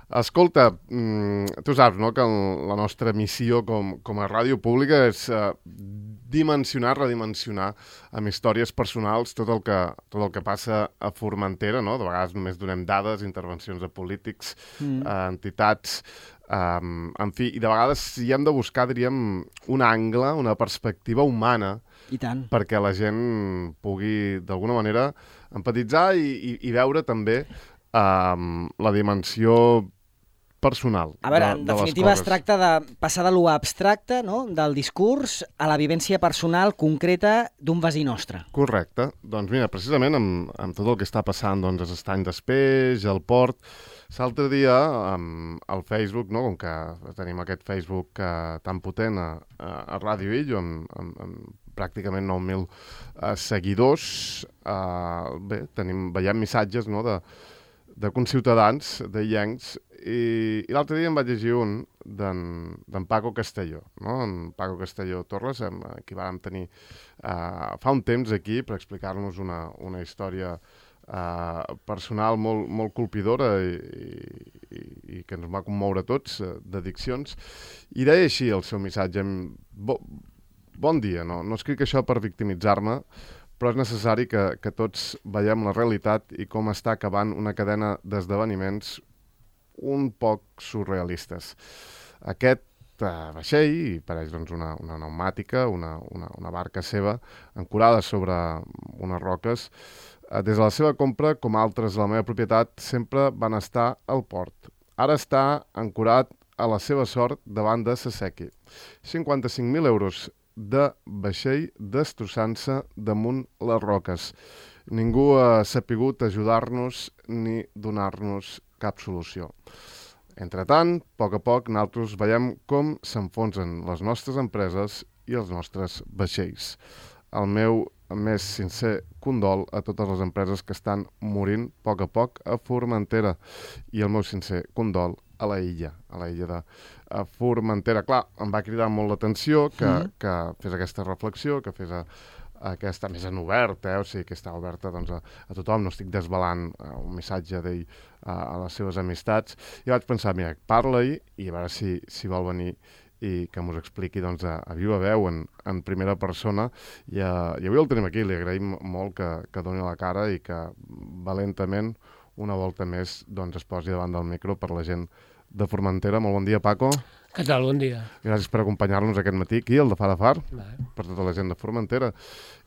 Escolta, tu saps, no?, que la nostra missió com a ràdio pública és dimensionar, redimensionar amb històries personals tot el que passa a Formentera, no? De vegades només donem dades, intervencions de polítics, entitats, en fi, i de vegades hi hem de buscar, diríem, un angle, una perspectiva humana, i tant, perquè la gent pugui, d'alguna manera, empatitzar i veure també la dimensió personal a veure, en de les definitiva es coses. tracta de passar de lo abstracte, no?, del discurs a la vivència personal concreta d'un veí nostre. Correcte. Doncs mira, precisament amb tot el que està passant doncs, a Estany d'Espeix, al Port, l'altre dia al Facebook, no?, com que tenim aquest Facebook tan potent a Ràdio Illo, amb pràcticament 9.000 seguidors, veiem missatges, no?, de conciutadans, de illencs, i l'altre dia em vaig llegir un d'en Paco Castelló, no? En Paco Castelló Torres, qui vàrem tenir fa un temps aquí per explicar-nos una història personal molt colpidora i que ens va commoure tots, d'addiccions, i deia així el seu missatge: bon dia, no escric això per victimitzar-me, però és necessari que tots veiem la realitat i com està acabant una cadena d'esdeveniments un poc surrealistes. Aquest vaixell, i pareix doncs, una pneumàtica, una barca seva, ancorada sobre unes roques, des de la seva compra, com altres de la meva propietat, sempre van estar al port. Ara està ancorat a la seva sort davant de Saseki. 55.000 euros de vaixell destrossant-se damunt les roques. Ningú ha sapigut ajudar-nos ni donar-nos cap solució. Entretant, a poc, nosaltres veiem com s'enfonsen les nostres empreses i els nostres vaixells. El meu més sincer condol a totes les empreses que estan morint a poc a Formentera, i el meu sincer condol a la illa de Formentera. Clar, em va cridar molt l'atenció que fes aquesta reflexió, que fes aquesta més en obert, o sigui, que està oberta doncs, a tothom. No estic desvelant un missatge d'ell a les seves amistats. I vaig pensar, mira, parla-hi i a veure si vol venir i que m'ho expliqui doncs, a viva veu, en primera persona. I avui el tenim aquí, li agraïm molt que doni la cara i que valentament una volta més doncs, es posi davant del micro per la gent de Formentera. Molt bon dia, Paco. Què tal? Bon dia. Gràcies per acompanyar-nos aquest matí aquí, al de Far a Far, per tota la gent de Formentera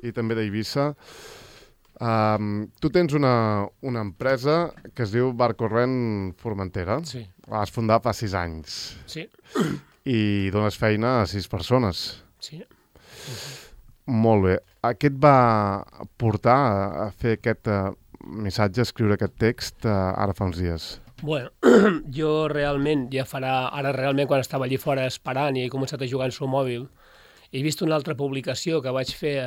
i també d'Eivissa. Tu tens una empresa que es diu Bar Corrent Formentera. Sí. La vas fundar fa 6 anys. Sí. I dones feina a 6 persones. Sí. Molt bé. Què et va portar a fer aquest missatge, a escriure aquest text ara fa uns dies? Bueno, jo realment, ara realment quan estava allí fora esperant i he començat a jugar en el mòbil, he vist una altra publicació que vaig fer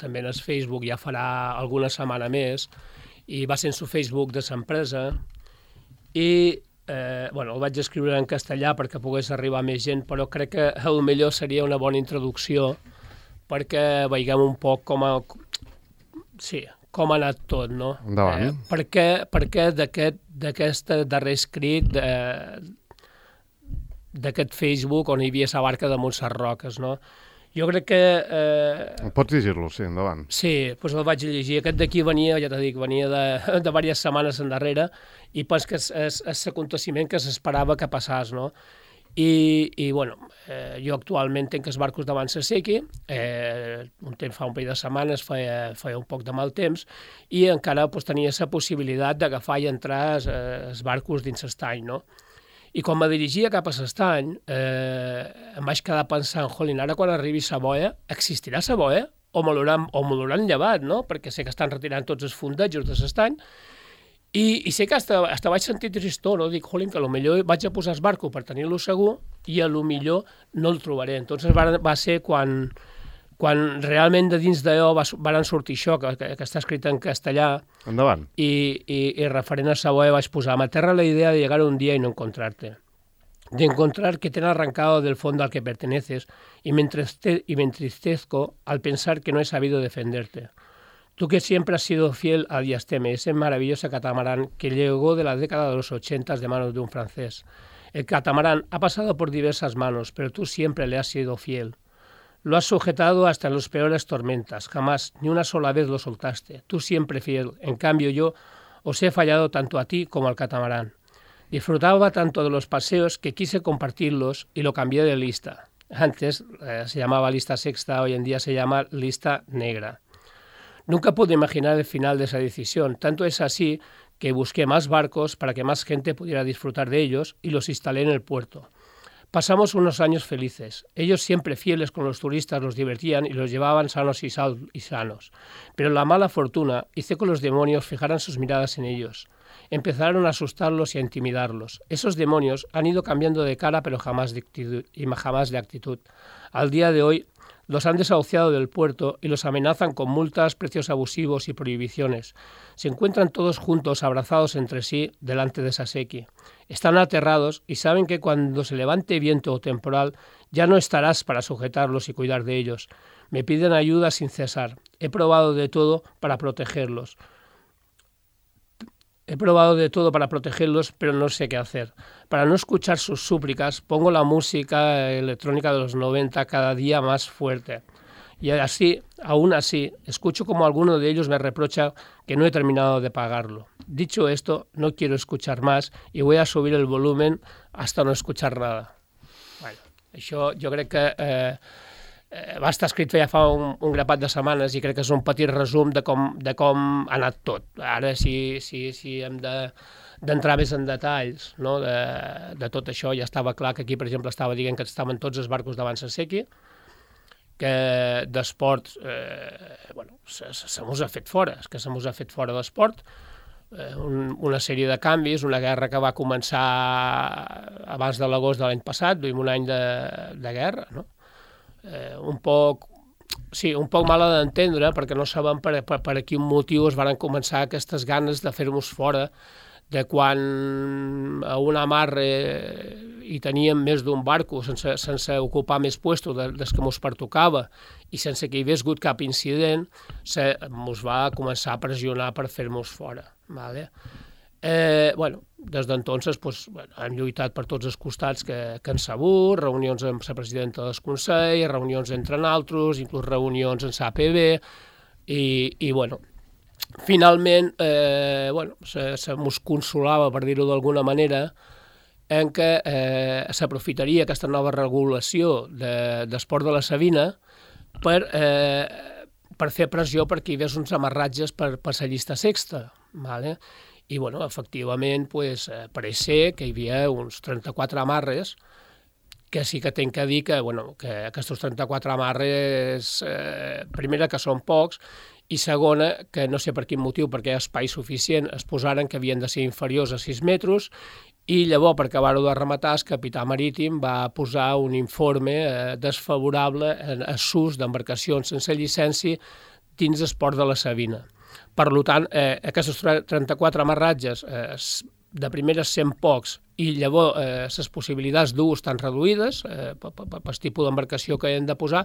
també en el Facebook, ja farà alguna setmana més, i va ser en el Facebook de l'empresa, i el vaig escriure en castellà perquè pogués arribar més gent, però crec que potser seria una bona introducció perquè veiguem un poc com ha anat tot, no? Endavant. Per què d'aquest darrer escrit d'aquest Facebook on hi havia la barca damunt les roques, no? Jo crec que... Pots llegir-lo, sí, endavant. Sí, doncs el vaig llegir. Aquest d'aquí venia, ja t'he dit, venia de diverses setmanes endarrere i pens que és l'aconteciment que s'esperava que passés, no? Jo actualment tenc els barcos davant Saseki, fa un parell de setmanes feia un poc de mal temps i encara tenia la possibilitat d'agafar i entrar els barcos dins l'estany, no? I quan me dirigia cap a l'estany em vaig quedar pensant, ara quan arribi la boia, existirà la boia? O me l'hauran llevat, no? Perquè sé que estan retirant tots els fondejos de l'estany. I sé que hasta vaig sentir tristor, no? Dic, que potser vaig a posar el barco per tenir-lo segur i potser no el trobaré. Entonces va ser quan realment de dins d'allò van sortir això, que està escrit en castellà. Endavant. Y referent a esa boya vais a me aterra la idea de llegar un día y no encontrarte. De encontrar que te han arrancado del fondo al que perteneces y me entristezco al pensar que no he sabido defenderte. Tú que siempre has sido fiel a Diasteme, ese maravilloso catamarán que llegó de la década de los 80 de manos de un francés. El catamarán ha pasado por diversas manos, pero tú siempre le has sido fiel. Lo has sujetado hasta en las peores tormentas, jamás, ni una sola vez lo soltaste. Tú siempre fiel. En cambio yo os he fallado tanto a ti como al catamarán. Disfrutaba tanto de los paseos que quise compartirlos y lo cambié de lista. Antes se llamaba lista sexta, hoy en día se llama lista negra. Nunca pude imaginar el final de esa decisión. Tanto es así que busqué más barcos para que más gente pudiera disfrutar de ellos y los instalé en el puerto. Pasamos unos años felices. Ellos siempre fieles con los turistas los divertían y los llevaban sanos y sanos. Pero la mala fortuna hizo que los demonios fijaran sus miradas en ellos. Empezaron a asustarlos y a intimidarlos. Esos demonios han ido cambiando de cara pero jamás de actitud. Al día de hoy los han desahuciado del puerto y los amenazan con multas, precios abusivos y prohibiciones. Se encuentran todos juntos, abrazados entre sí, delante de Saseki. Están aterrados y saben que cuando se levante viento o temporal ya no estarás para sujetarlos y cuidar de ellos. Me piden ayuda sin cesar. He probado de todo para protegerlos. Pero no sé qué hacer. Para no escuchar sus súplicas, pongo la música electrónica de los 90 cada día más fuerte. Y así, aún así, escucho como alguno de ellos me reprocha que no he terminado de pagarlo. Dicho esto, no quiero escuchar más y voy a subir el volumen hasta no escuchar nada. Bueno, això jo crec que va estar escrit ja fa un grapat de setmanes i crec que és un petit resum de com ha anat tot. Ara, si hem d'entrar més en detalls, no, de tot això, ja estava clar que aquí, per exemple, estava dient que estaven tots els barcos davant Saseki, que d'esport se mos ha fet fora, és que se mos ha fet fora d'esport, una sèrie de canvis, una guerra que va començar abans de l'agost de l'any passat, duim un any de guerra, no? Un poc mala d'entendre, perquè no sabem per quin motiu es van començar aquestes ganes de fer-nos fora, de quan a un amarre hi teníem més d'un barco sense ocupar més puestos des que ens pertocava i sense que hi hagués hagut cap incident, ens va començar a pressionar per fer-nos fora. Vale? Des d'entonces hem lluitat per tots els costats que han sabut, reunions amb la presidenta del Consell, reunions entre nosaltres, inclús reunions amb l'APB, i finalment se mos consolava, per dir-ho d'alguna manera, en què s'aprofitaria aquesta nova regulació d'esport de la Sabina per fer pressió perquè hi hagués uns amarratges per la llista sexta. I, efectivament, pareix ser que hi havia uns 34 amarres, que sí que tinc que dir que aquests 34 amarres, primera, que són pocs, i segona, que no sé per quin motiu, perquè hi ha espai suficient, es posaren que havien de ser inferiors a 6 metres, i llavors, per acabar-ho de rematar, el capità marítim va posar un informe desfavorable a l'ús d'embarcacions sense llicència dins l'esport de la Sabina. Per tant, aquests 34 amarratges, de primeres 100 pocs, i llavors les possibilitats d'ús estan reduïdes pel tipus d'embarcació que hem de posar,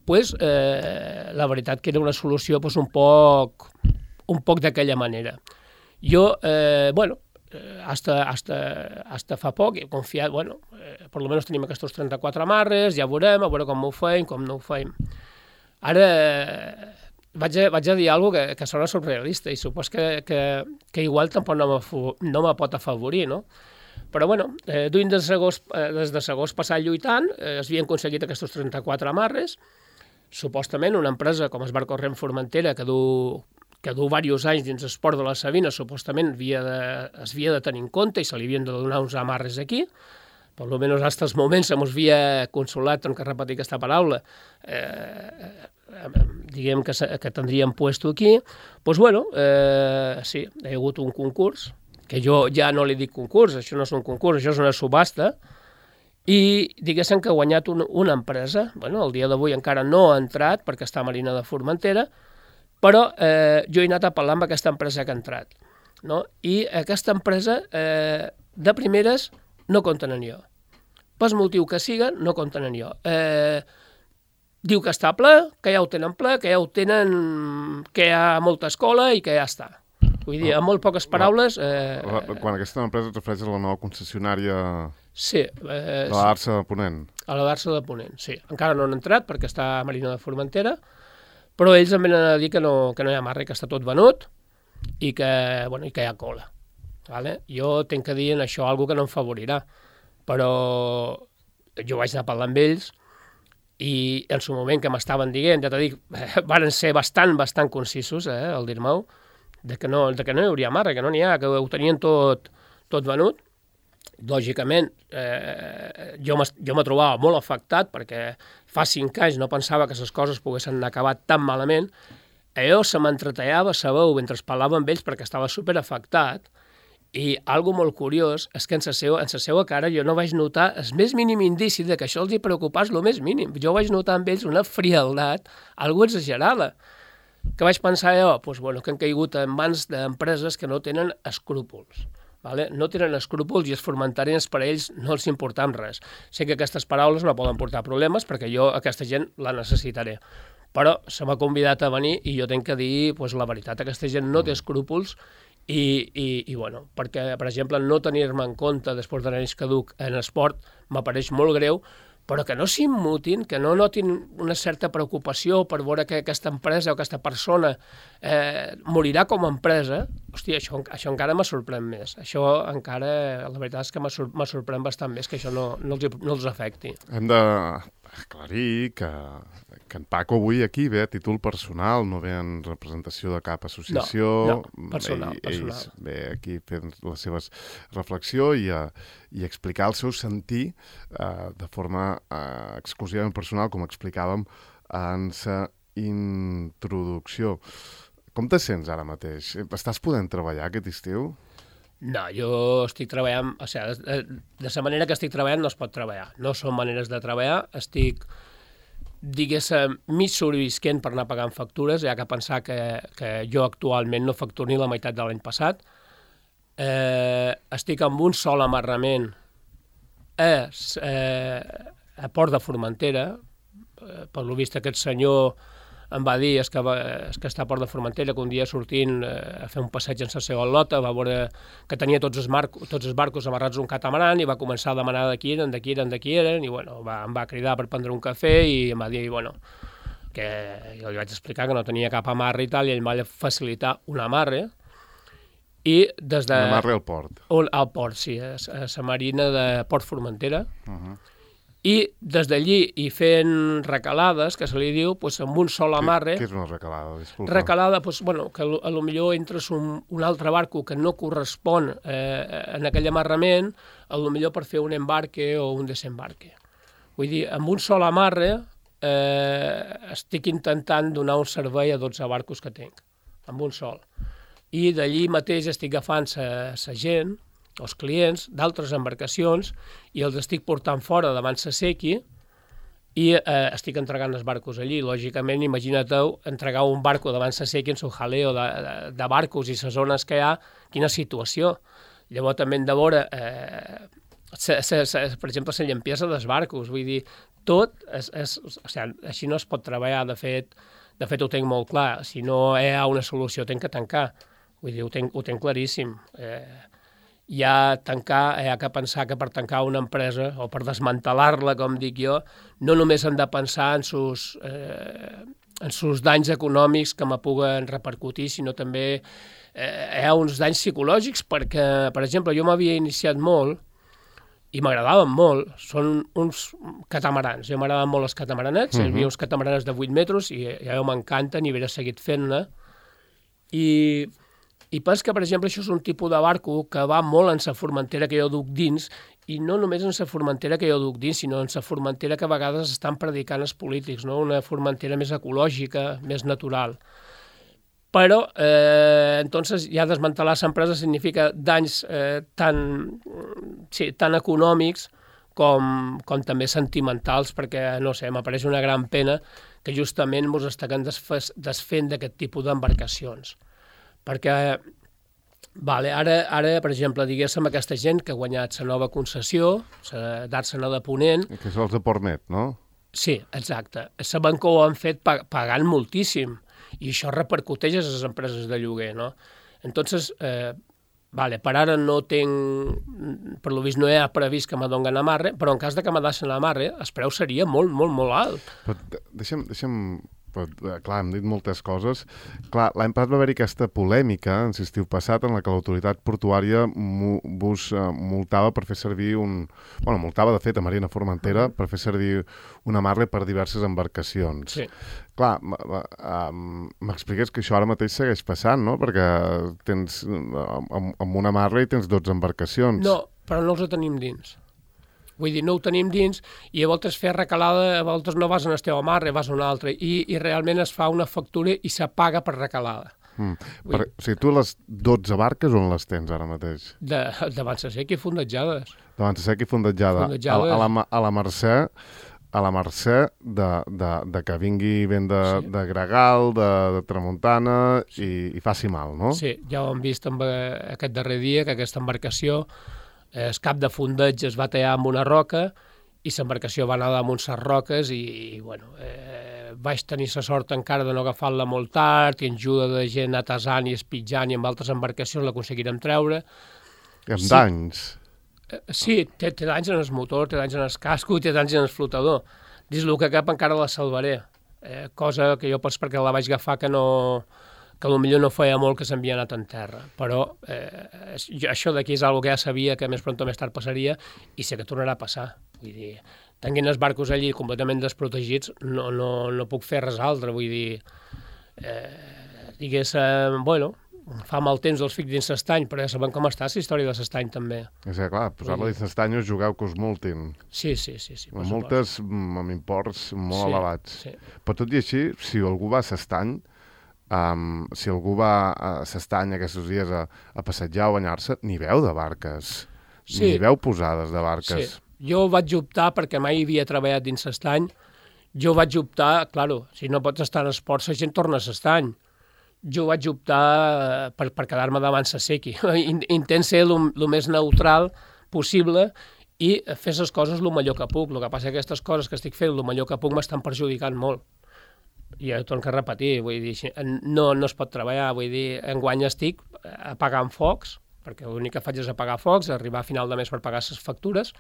la veritat que era una solució un poc d'aquella manera. Jo, hasta fa poc he confiat, per almenys tenim aquests 34 amarres, ja veurem com ho fem, com no ho fem. Ara vaig a dir alguna cosa que sona surrealista i supos que igual tampoc no me pot afavorir, no? Però, duim des de l'agost passat lluitant, s'havien aconseguit aquests 34 amarres, supostament una empresa com el Bar Corrent Formentera, que du diversos anys dins l'esport de la Sabina, supostament es havia de tenir en compte i se li havien de donar uns amarres aquí, per almenys fins als moments se mos havia consolat, en què repetir aquesta paraula, diguem que tindríem puesto aquí, sí, hi ha hagut un concurs, que jo ja no li dic concurs, això no és un concurs, això és una subhasta, i diguéssim que ha guanyat una empresa, el dia d'avui encara no ha entrat perquè està a Marina de Formentera, però jo he anat a parlar amb aquesta empresa que ha entrat, no? I aquesta empresa de primeres no compten en jo. Per motiu que siga, no compten en jo. diu que està ple, que ja ho tenen ple, que ja ho tenen, que hi ha molta escola i que ja està. Vull dir, amb molt poques paraules... Quan aquesta empresa et refereix a la nova concessionària Sí. de l'Arsa de Ponent. A la Barça de Ponent, sí. Encara no han entrat perquè està a Marina de Formentera, però ells em venen a dir que no hi ha marre, que està tot venut i que hi ha cola. Vale? Jo tinc que dir en això alguna que no em favorirà, però jo vaig anar a parlar amb ells i en su moment que m'estaven dient, ja t'ho dic, van ser bastant concisos, al dir-m'ho, que no hi hauria marra, que no n'hi ha, que ho tenien tot venut. Lògicament, jo me trobava molt afectat perquè fa 5 anys no pensava que les coses poguessin acabar tan malament. Jo se m'entretallava, sabeu, mentre parlava amb ells perquè estava superafectat. I algo molt curiós és que en la seva cara jo no vaig notar el més mínim indici de que això els hi preocupés el més mínim. Jo vaig notar amb ells una frialdat, algo exagerada. Que vaig pensar jo? Que han caigut en mans d'empreses que no tenen escrúpols. Vale? No tenen escrúpols i els formentarens per a ells no els importam res. Sé que aquestes paraules no poden portar problemes perquè jo aquesta gent la necessitaré. Però se m'ha convidat a venir i jo tinc que dir la veritat. Aquesta gent no té escrúpols i perquè, per exemple, no tenir-me en compte després de l'anell caduc en esport m'apareix molt greu, però que no s'immutin, que no notin una certa preocupació per veure que aquesta empresa o aquesta persona morirà com a empresa. Hòstia, això encara me sorprèn més. Això encara, la veritat és que me sorprèn bastant més que això no els afecti. Hem d'aclarir que en Paco avui aquí ve a títol personal, no ve en representació de cap associació. No, personal. Ells ve aquí fent la seva reflexió i explicar el seu sentir de forma exclusivament personal, com explicàvem en la introducció. Com te sents ara mateix? Estàs podent treballar aquest estiu? No, jo estic treballant, de la manera que estic treballant no es pot treballar. No són maneres de treballar, estic, diguéssim, mig sobrevisquent per anar pagant factures, hi ha que pensar que jo actualment no facturo ni la meitat de l'any passat. Estic amb un sol amarrament a Port de Formentera, per lo vist aquest senyor em va dir que està a Port de Formentera, que un dia sortint a fer un passeig en la seva lota va veure que tenia tots els barcos amarrats a un catamaran i va començar a demanar de qui eren, i em va cridar per prendre un cafè i em va dir que jo li vaig explicar que no tenia cap amarre i tal, i ell em va facilitar un amarre. I des de... Un amarre al port. Al port, sí, a la marina de Port Formentera. I des d'allí, i fent recalades, que se li diu, amb un sol amarre... Què és una recalada? Disculpa. Recalada, que potser entres un altre barco que no correspon en aquell amarrament, potser per fer un embarque o un desembarque. Vull dir, amb un sol amarre estic intentant donar un servei a 12 barcos que tinc, amb un sol. I d'allí mateix estic agafant la gent, els clients d'altres embarcacions, i els estic portant fora davant la sequi i estic entregant els barcos allí. Lògicament, imagina't entregar un barco davant la sequi en su jaleo de barcos i les zones que hi ha, quina situació. Llavors també hem de veure, per exemple, la llampiesa dels barcos. Vull dir, tot, així no es pot treballar. De fet, ho tinc molt clar. Si no hi ha una solució, tinc que tancar. Vull dir, ho tinc claríssim. Hi ha que pensar que per tancar una empresa o per desmantelar-la, com dic jo, no només hem de pensar en sus danys econòmics que me puguen repercutir, sinó també hi ha uns danys psicològics perquè, per exemple, jo m'havia iniciat molt i m'agradaven molt, són uns catamarans. Jo m'agradaven molt els catamaranets, hi havia uns catamarans de 8 metres i ja m'encanten i hauria seguit fent-ne. I penso que, per exemple, això és un tipus de barco que va molt en la formentera que jo duc dins, i no només en la formentera que jo duc dins, sinó en la formentera que a vegades estan predicant els polítics, no? Una formentera més ecològica, més natural. Però, entonces, ja desmantelar l'empresa significa danys tan econòmics com també sentimentals, perquè, no sé, m'apareix una gran pena que justament ens estem desfent d'aquest tipus d'embarcacions. Perquè, ara, per exemple, diguéssim, aquesta gent que ha guanyat la nova concessió, d'Àrsena de Ponent... Que és els de Portmet, no? Sí, exacte. Sabem que ho han fet pagant moltíssim i això repercuteix a les empreses de lloguer, no? Entonces, vale, per ara no tinc, per lo vist no hi ha previst que me donguen amarre, però en cas de que me deixen amarre, el preu seria molt, molt, molt alt. Però deixa'm clar, hem dit moltes coses. Clar, l'any passat va haver-hi aquesta polèmica, en l'estiu passat, en la que l'autoritat portuària vos multava per fer servir multava, de fet, a Marina Formentera per fer servir un amarre per diverses embarcacions. Sí. Clar, m'expliques que això ara mateix segueix passant, no? Perquè tens, amb un amarre i tens 12 embarcacions. No, però no els tenim dins. Vull dir, no ho tenim dins i a voltes fer recalada, a voltes no vas en el teu amarre, vas a un altre, i realment es fa una factura i s'apaga per recalada. O sigui, tu les 12 barques on les tens ara mateix? De Bansasec i fondejades. De Bansasec i fondejada. A la Mercè, de que vingui vent de gregal, de tramuntana i faci mal, no? Sí, ja ho hem vist aquest darrer dia, que aquesta embarcació, el cap de fondeig es va tallar amb una roca i l'embarcació va anar damunt les roques i bueno, vaig tenir la sort encara de no agafar-la molt tard i en ajuda de gent atasant i espitjant i amb altres embarcacions l'aconseguirem treure. I amb danys? Sí, té danys en el motor, té danys en el casco i té danys en el flotador. Dins el que cap encara la salvaré, cosa que jo potser perquè la vaig agafar que potser no feia molt que s'havia anat en terra, però això d'aquí és una que ja sabia que més pront o més tard passaria i sé que tornarà a passar. Vull dir, tenint els barcos allí completament desprotegits, no puc fer res altre, vull dir, bueno, fa mal temps els fic dins l'estany, però ja sabem com està la història de l'estany també. És que clar, posar-la dins l'estany us jugueu que us multin. Sí. Multes amb imports molt elevats. Sí. Però tot i així, si algú va a l'estany, si algú va a l'estany aquests dies a passejar o banyar-se, n'hi veu de barques, n'hi veu posades de barques. Sí. Jo vaig optar, perquè mai havia treballat dins l'estany, si no pots estar en esports, la gent torna a l'estany. Jo vaig optar per quedar-me davant la sequi. Intent ser el més neutral possible i fer les coses el millor que puc. El que passa és que aquestes coses que estic fent el millor que puc m'estan perjudicant molt. I ho torno a repetir, vull dir, no es pot treballar, vull dir, enguany estic apagant focs, perquè l'únic que faig és apagar focs, arribar a final de mes per pagar les factures,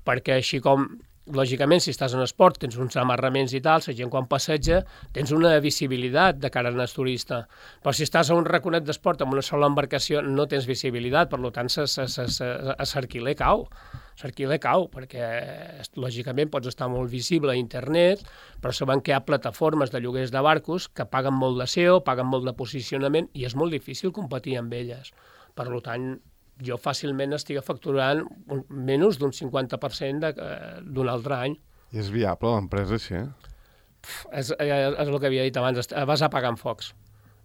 perquè així com, lògicament, si estàs en esport, tens uns amarraments i tal, la gent quan passeja, tens una visibilitat de cara al turista. Però si estàs a un raconet d'esport amb una sola embarcació, no tens visibilitat, per tant, l'arquiler cau. L'arquiler cau, perquè lògicament pots estar molt visible a internet, però sabem que hi ha plataformes de lloguers de barcos que paguen molt de SEO, paguen molt de posicionament, i és molt difícil competir amb elles. Per tant, jo fàcilment estic facturant menys d'un 50% d'un altre any. I és viable l'empresa així? És el que havia dit abans, vas apagant focs.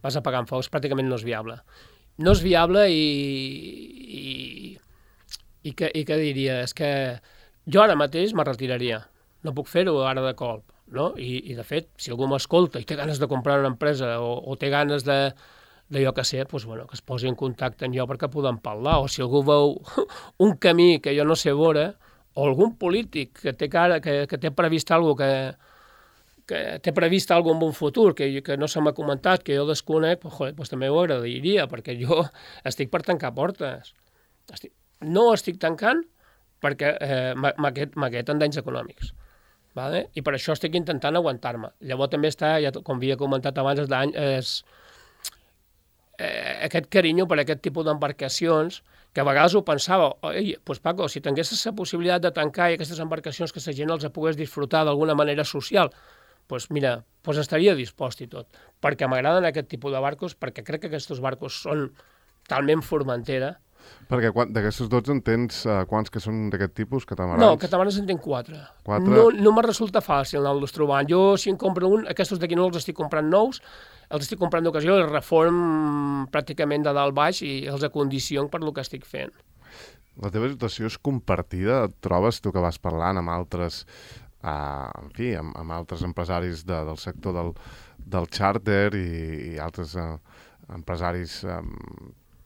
Pràcticament no és viable. No és viable i què diria? És que jo ara mateix me retiraria. No puc fer-ho ara de colp. No? I de fet, si algú m'escolta i té ganes de comprar una empresa o té ganes de jo que sé, doncs, bueno, que es posi en contacte amb jo perquè podem parlar, o si algú veu un camí que jo no sé veure, o algun polític que té previst alguna que té previst alguna en un futur, que no se m'ha comentat, que jo desconec, doncs també ho agradaria, perquè jo estic per tancar portes. No estic tancant perquè m'aqueten danys econòmics. Vale? I per això estic intentant aguantar-me. Llavors també està, com havia comentat abans, aquest carinyo per aquest tipus d'embarcacions, que a vegades ho pensava, doncs Paco, si tinguessis la possibilitat de tancar i aquestes embarcacions que la gent els pogués disfrutar d'alguna manera social, doncs mira, estaria dispost i tot, perquè m'agraden aquest tipus de barcos, perquè crec que aquests barcos són talment Formentera. Perquè d'aquestos 12 en tens quants que són d'aquest tipus, catamarans? No, catamarans en tinc 4. No me resulta fàcil anar-los trobant. Jo, si en compro un, aquests d'aquí no els estic comprant nous, els estic comprant d'ocasió, els reform pràcticament de dalt baix i els acondiciono per el que estic fent. La teva situació és compartida? Et trobes tu que vas parlant amb altres, amb altres empresaris del sector del xàrter i altres empresaris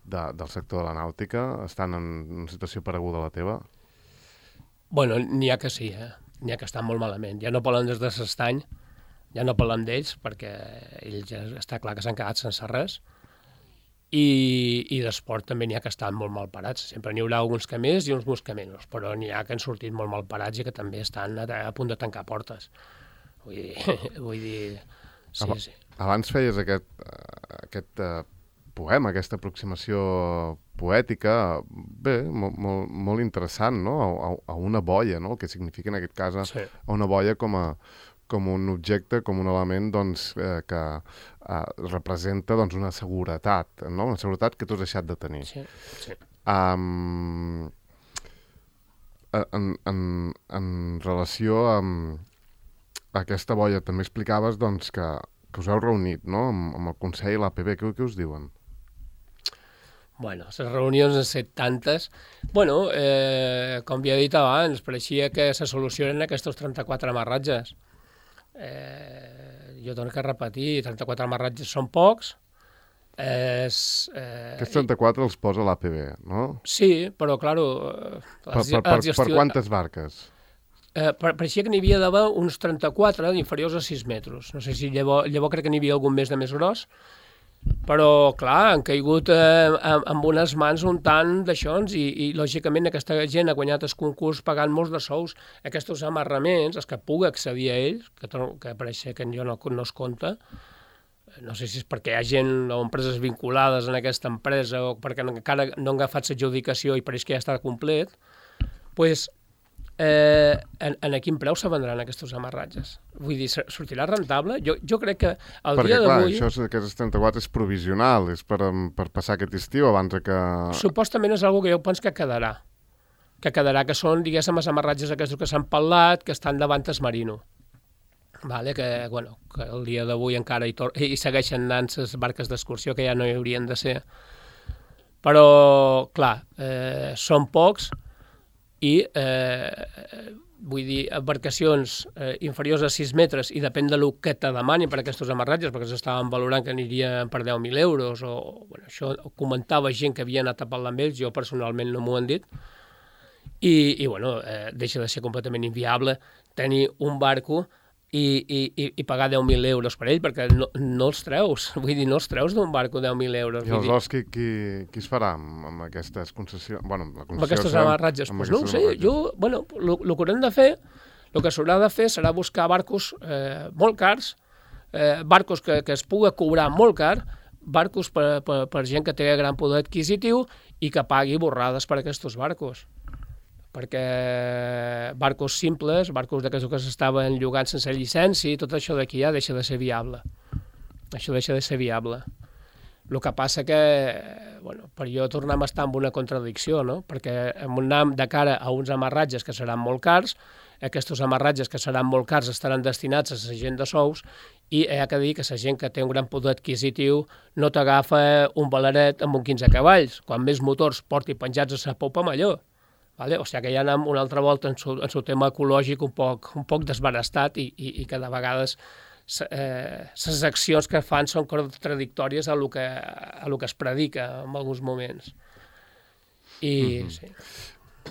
del sector de la nàutica estan en una situació pareguda a la teva? Bueno, n'hi ha que sí, n'hi ha que estan molt malament. Ja no parlem des de l'estany, ja no parlem d'ells, perquè ells ja està clar que s'han quedat sense res, i d'esport també n'hi ha que estan molt mal parats. Sempre n'hi haurà alguns que més i uns que menys, però n'hi ha que han sortit molt mal parats i que també estan a punt de tancar portes. Vull dir sí. Abans feies aquest poema, aquesta aproximació poètica, bé, molt interessant, no? A una boia, no? El que significa en aquest cas a una boia com un objecte, com un element doncs, que representa doncs, una seguretat, no? Una seguretat que tu has deixat de tenir. Sí. En relació amb aquesta boia, també explicaves doncs, que us heu reunit, no? Amb el Consell i l'APB. Què us diuen? Bueno, les reunions han estat tantes. Bueno, com havia dit abans, pareixia que se solucionen aquests 34 amarratges. Jo torno a repetir, 34 amarratges són pocs. Aquests 34 els posa l'APB, no? Sí, però, clar... Per quantes barques? Pareixia que n'hi havia d'haver uns 34 inferiors a 6 metres. No sé si llavors crec que n'hi havia algun més de més gros, però, clar, han caigut amb unes mans un tant d'això i, lògicament, aquesta gent ha guanyat el concurs pagant molts de sous. Aquests amarraments, els que pugui accedir a ells, que pareix que jo no es compta, no sé si és perquè hi ha gent o empreses vinculades en aquesta empresa o perquè encara no han agafat l'adjudicació i pareix que ja està complet, doncs en quin preu se vendran aquests amarratges? Vull dir, sortirà rentable? Jo crec que el dia d'avui... Perquè, clar, això aquests 34 és provisional, és per passar aquest estiu abans que... Supostament és una que jo penso que quedarà. Que són, diguéssim, els amarratges aquests que s'han parlat, que estan davant el Marino. Vale? Que el dia d'avui encara hi segueixen anant les barques d'excursió, que ja no hi haurien de ser. Però, clar, són pocs, i vull dir, embarcacions inferiors a 6 metres i depèn de lo que te demanin per aquests amarratges, perquè s'estaven valorant que anirien per 10.000 euros això ho comentava gent que havia anat a parlar amb ells, jo personalment no m'ho han dit i deixa de ser completament inviable tenir un barco i pagar 10.000 euros per ell, perquè no els treus, vull dir, no els treus d'un barco 10.000 euros. I aleshores qui es farà amb aquestes concessions? Bueno, la concessió... Amb aquests amarratges? Doncs no ho sé, el que haurem de fer, el que s'haurà de fer serà buscar barcos molt cars, barcos que es pugui cobrar molt car, barcos per gent que té gran poder adquisitiu i que pagui borrades per aquests barcos. Perquè barcos simples, barcos d'aquests que s'estaven llogant sense llicència, tot això d'aquí ja deixa de ser viable. Això deixa de ser viable. El que passa que, per jo tornem a estar en una contradicció, no? Perquè anem de cara a uns amarratges que seran molt cars, aquests amarratges que seran molt cars estaran destinats a la gent de sous i hi ha que dir que la gent que té un gran poder adquisitiu no t'agafa un baleret amb un 15 cavalls. Quan més motors porti penjats a la popa, millor. Vale? O sigui que ja anem una altra volta en el tema ecològic un poc desbarestat i que de vegades les accions que fan són contradictòries a lo que es predica en alguns moments. Sí.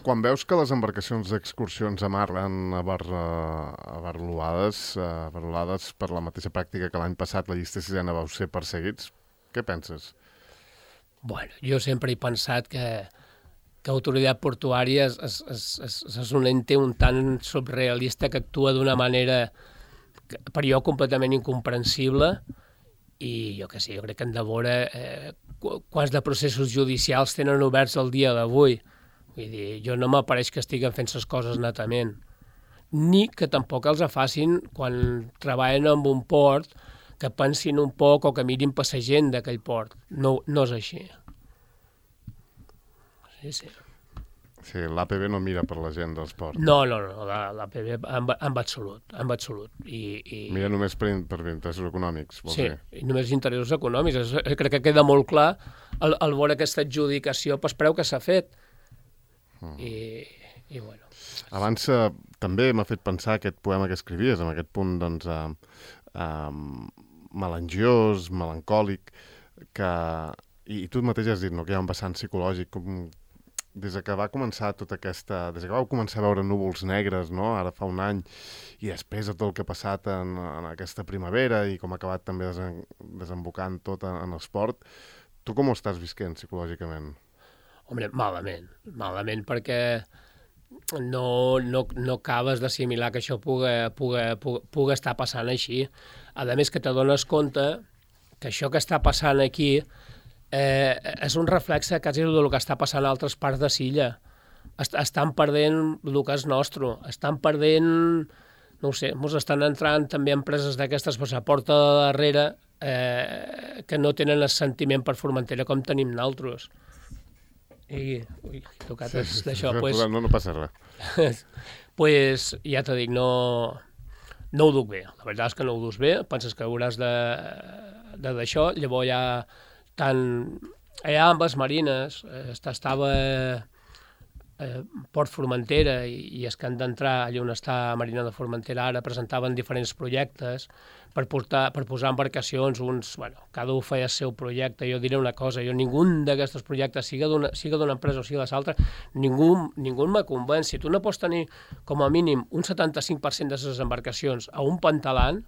Quan veus que les embarcacions d'excursions amarren abarrolades per la mateixa pràctica que l'any passat la llista sisena vau ser perseguits, què penses? Bueno, jo sempre he pensat que l'autoritat portuària és un ente un tant surrealista que actua d'una manera per jo completament incomprensible i jo crec que hem de veure quants de processos judicials tenen oberts el dia d'avui. Vull dir, jo no m'apareix que estiguen fent les coses netament, ni que tampoc els facin quan treballen en un port que pensin un poc o que mirin per la gent d'aquell port. No és així. Sí. Sí, l'APB no mira per la gent dels ports. No, l'APB en absolut. Mira només per interessos econòmics, vols dir? Sí, només interessos econòmics. Crec que queda molt clar al veure aquesta adjudicació pel preu que s'ha fet. I bueno... Abans també m'ha fet pensar aquest poema que escrivies, amb aquest punt, doncs, melangiós, melancòlic, que... I tu mateix has dit, no?, que hi ha un vessant psicològic des que va començar tota aquesta... Des que vau començar a veure núvols negres, no?, ara fa un any, i després de tot el que ha passat en aquesta primavera i com ha acabat també desembocant tot en l'esport, tu com ho estàs visquent psicològicament? Home, malament, perquè no acabes d'assimilar que això pugui estar passant així. A més que t'adones compte que això que està passant aquí és un reflexe quasi del que està passant a altres parts de l'illa. Estan perdent el que és nostre, estan perdent, no ho sé, ens estan entrant també empreses d'aquestes per la porta de darrere que no tenen el sentiment per Formentera com tenim nosaltres. I tocat d'això, no passa res. Pues ja t'ho dic, no ho duc bé. La veritat és que no ho dus bé, penses que hauràs d'això, llavors ja tant allà amb les marines estava Port Formentera i els que han d'entrar allà on està Marina de Formentera ara presentaven diferents projectes per posar embarcacions, cada un feia el seu projecte. Jo diré una cosa, ningú d'aquests projectes, siga d'una empresa o sigui de l'altra, ningú me convenç. Si tu no pots tenir com a mínim un 75% de les embarcacions a un pantalant,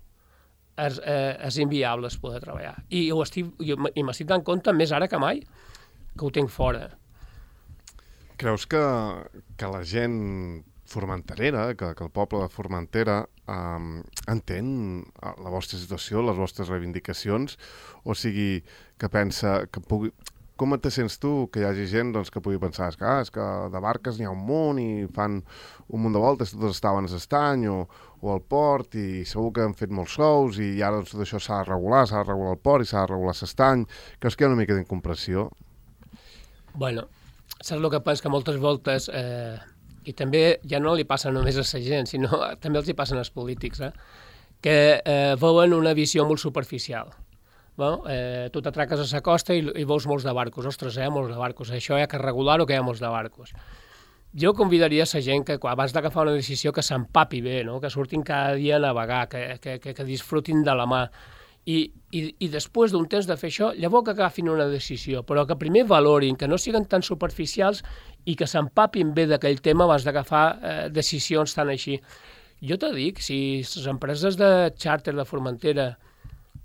és inviable poder treballar. I m'estic dant compte més ara que mai que ho tinc fora. Creus que la gent formenterera, que el poble de Formentera entén la vostra situació, les vostres reivindicacions, o sigui, que pensa que pugui... Com te sents tu que hi hagi gent que pugui pensar és que de barques n'hi ha un munt i fan un munt de voltes, totes estaven a l'estany o al port i segur que han fet molts sous i ara tot això s'ha de regular el port i s'ha de regular l'estany. Creus que hi ha una mica d'incomprensió? Bueno, saps el que penso? Que moltes voltes, i també ja no li passa només a la gent, sinó també els hi passen als polítics, que veuen una visió molt superficial. Tu t'atraques a la costa i veus molts de barcos. Ostres, hi ha molts de barcos. Això hi ha que regular-ho, que hi ha molts de barcos. Jo convidaria la gent que abans d'agafar una decisió que s'empapi bé, no? Que surtin cada dia a navegar, que disfrutin de la mà. I després d'un temps de fer això, llavors que agafin una decisió, però que primer valorin, que no siguin tan superficials i que s'empapin bé d'aquell tema abans d'agafar decisions tan així. Jo t'ho dic, si les empreses de xàrter de Formentera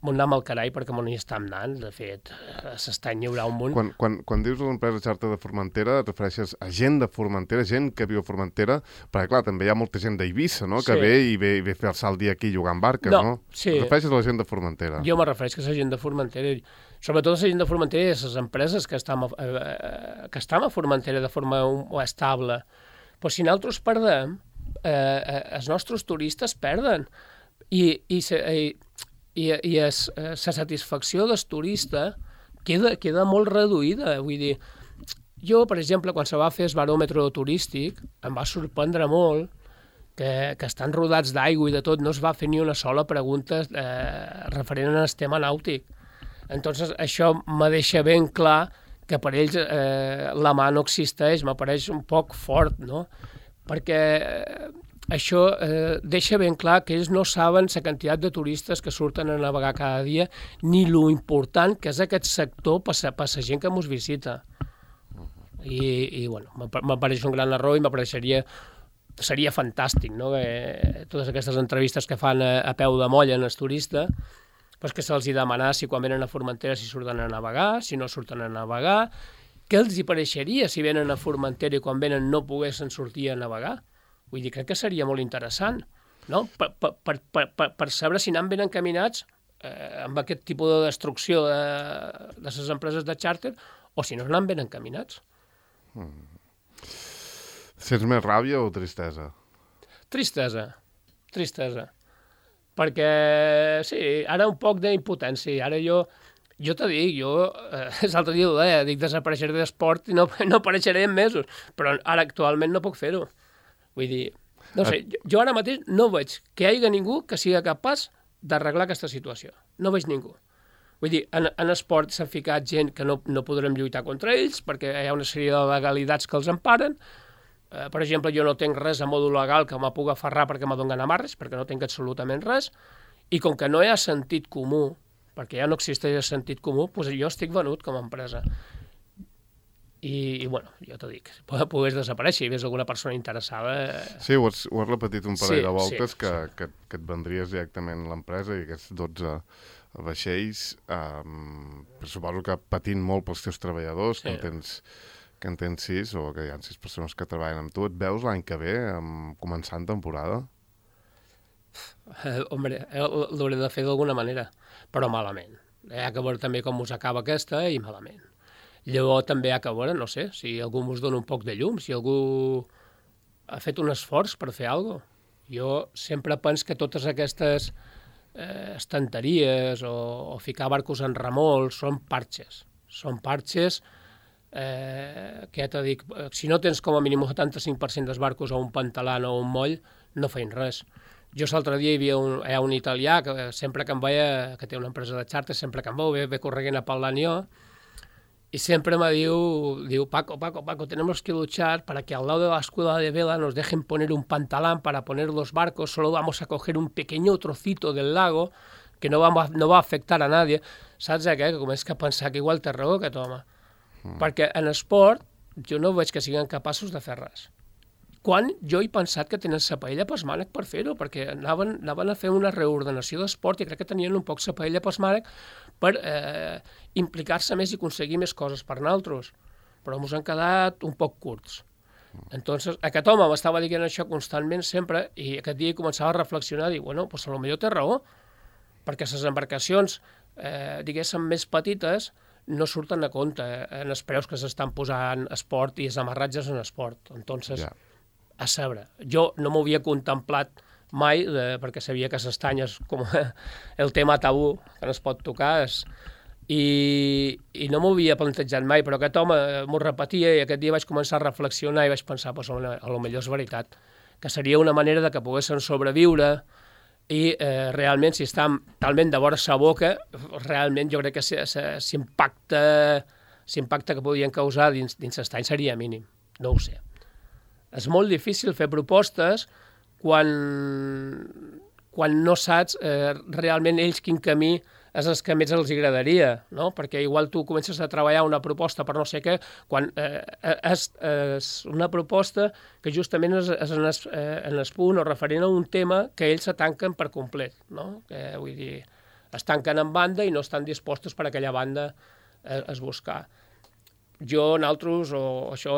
m'ho anam al carai perquè m'ho hi estan anant, de fet, s'estany hi haurà un munt. Quan dius l'empresa xàrter de Formentera, et refereixes a gent de Formentera, gent que viu a Formentera, perquè clar, també hi ha molta gent d'Eivissa, no?, que ve i ve a fer-se el dia aquí jugant barques, no? Sí. Et refereixes a la gent de Formentera? Jo me refereixo a la gent de Formentera, sobretot a la gent de Formentera i a les empreses que estan a Formentera de forma estable. Però si nosaltres perdem, els nostres turistes perden. I la satisfacció del turista queda molt reduïda. Vull dir, jo, per exemple, quan se va fer el baròmetre turístic, em va sorprendre molt que estan rodats d'aigua i de tot, no es va fer ni una sola pregunta referent al tema nàutic. Entonces, això me deixa ben clar que per ells la mà no existeix, m'apareix un poc fort, no? Perquè això deixa ben clar que ells no saben la quantitat de turistes que surten a navegar cada dia ni lo important que és aquest sector per la gent que ens visita. I bueno, m'apareix un gran error i seria fantàstic, no? Totes aquestes entrevistes que fan a peu de molla en el turista, pues que se'ls demanar si quan venen a Formentera si surten a navegar, si no surten a navegar, què els hi pareixeria si venen a Formentera i quan venen no poguessin sortir a navegar. Vull dir, crec que seria molt interessant, no? Per saber si anem ben encaminats amb aquest tipus de destrucció de les empreses de xàrter o si no anem ben encaminats. Sents més ràbia o tristesa? Tristesa. Perquè, sí, ara un poc d'impotència. Ara jo t'ho dic, l'altre dia ho deia, dic desapareixeré d'esport i no apareixeré en mesos, però ara actualment no puc fer-ho. Vull dir, no sé, jo ara mateix no veig que hi hagi ningú que sigui capaç d'arreglar aquesta situació. No veig ningú. Vull dir, en esport s'han ficat gent que no podrem lluitar contra ells perquè hi ha una sèrie de legalitats que els emparen. Per exemple, jo no tinc res a mòdul legal que me pugui aferrar perquè me donen amarres, perquè no tinc absolutament res, i com que no hi ha sentit comú, perquè ja no existeix el sentit comú, doncs jo estic venut com a empresa. i bueno, jo t'ho dic, pogués desaparèixer i ves alguna persona interessada... Sí, ho has repetit un parell de voltes, sí. que et vendries directament l'empresa i aquests 12 vaixells, suposo que patint molt pels teus treballadors, Sí. que en tens 6, o que hi ha 6 persones que treballen amb tu. Et veus l'any que ve, començant temporada? Hombre, l'hauré de fer d'alguna manera, però malament. Hi ha que veure també com us acaba aquesta i malament. Llavors també hi ha que veure, no sé, si algú us dona un poc de llum, si algú ha fet un esforç per fer alguna cosa. Jo sempre penso que totes aquestes estanteries o ficar barcos en remol són parxes. Són parxes que ja t'ho dic, si no tens com a mínim un 75% dels barcos o un pantalan o un moll, no feien res. Jo l'altre dia hi ha un italià que sempre que em veia, que té una empresa de xarter, sempre que em veu, ve corregent a parlar jo, y siempre me diu, Paco, tenemos que luchar para que al lado de la escuela de vela nos dejen poner un pantalán para poner los barcos, solo vamos a coger un pequeño trocito del lago que no va a afectar a nadie. Saps què? Que comences a pensar que igual té raó aquest home. Perquè en esport jo no veig que siguin capaços de fer res. Quan jo he pensat que tenen sa paella pels mànec per fer-ho, perquè anaven a fer una reordenació d'esport i crec que tenien un poc sa paella pels mànec per implicar-se més i aconseguir més coses per nosaltres. Però ens han quedat un poc curts. Entonces, aquest home m'estava dient això constantment sempre i aquest dia començava a reflexionar i dir, bueno, pues potser té raó, perquè les embarcacions, diguéssim, més petites no surten a compte en els preus que s'estan posant esport i els amarratges en esport. Entonces, a saber, jo no m'ho havia contemplat mai, perquè sabia que s'estany és com el tema tabú que no es pot tocar, i no m'ho havia plantejat mai, però aquest home m'ho repetia i aquest dia vaig començar a reflexionar i vaig pensar, pues, a lo millor és veritat, que seria una manera de que poguessin sobreviure i realment, si estan talment de vora sa boca, realment jo crec que l'impacte que podien causar dins l'estany seria mínim. No ho sé. És molt difícil fer propostes quan no saps realment ells quin camí és el que més els agradaria, no? Perquè igual tu comences a treballar una proposta per no sé què, quan és una proposta que justament és en el punt o referent a un tema que ells se tanquen per complet, no? Que, vull dir, es tanquen en banda i no estan dispostos per aquella banda a buscar. Jo, nosaltres, o això,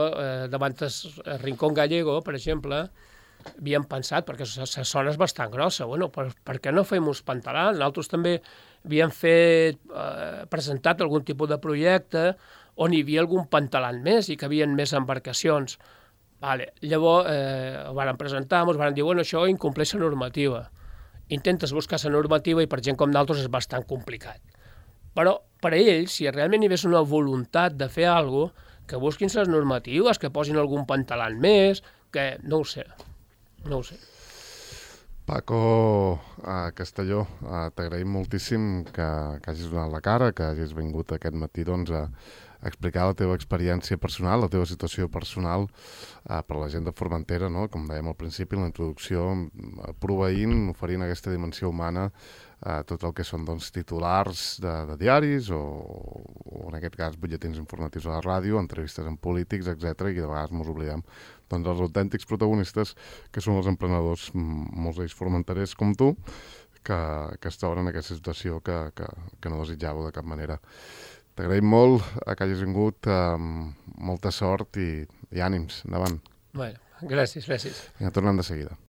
davant el Rincón Gallego, per exemple, havíem pensat, perquè la zona és bastant grossa, bueno, per què no fem uns pantalans? Nosaltres també havíem presentat algun tipus de projecte on hi havia algun pantalan més i que havia més embarcacions. Vale. Llavors, ho van presentar, ens van dir, bueno, això incompleix la normativa. Intentes buscar la normativa i per gent com nosaltres és bastant complicat. Però per a ells, si realment hi hagués una voluntat de fer alguna cosa, que busquin les normatives, que posin algun pantalan més, que no ho sé. Paco Castelló, t'agraïm moltíssim que hagis donat la cara, que hagis vingut aquest matí doncs, a explicar la teva experiència personal, la teva situació personal per la gent de Formentera, no? Com dèiem al principi, la introducció, proveint, oferint aquesta dimensió humana a tot el que són doncs, titulars de diaris o en aquest cas butlletins informatius a la ràdio, entrevistes amb polítics, etc. I de vegades ens oblidem doncs, els autèntics protagonistes que són els emprenedors, molts d'ells formenterers com tu, que es troben en aquesta situació que no desitjàveu de cap manera. T'agraïm molt que hagis vingut, molta sort i ànims, endavant. Bueno, gràcies. Ja tornem de seguida.